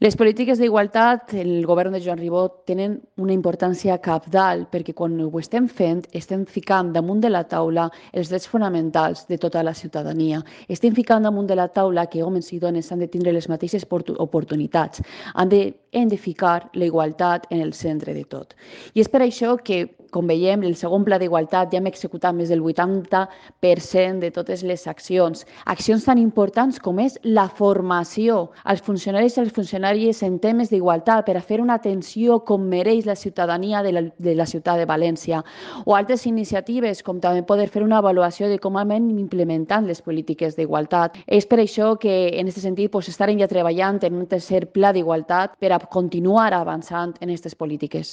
Les polítiques d'igualtat, el govern de Joan Ribó tenen una importància cabdal perquè quan ho estem ficant damunt de la taula els drets fonamentals de tota la ciutadania. Estem ficant damunt de la taula que homes i dones han de tindre les mateixes oportunitats. Hem de ficar la igualtat en el centre de tot. I és per això que, com veiem, el segon pla d'igualtat ja hem executat més del 80% de totes les accions. Accions tan importants com és la formació als funcionaris i als funcionàries en temes d'igualtat per a fer una atenció com mereix la ciutadania de la ciutat de València, o altres iniciatives com també poder fer una avaluació de com anem implementant les polítiques d'igualtat. És per això que en aquest sentit estarem ja treballant en un tercer pla d'igualtat per a continuar avançant en aquestes polítiques.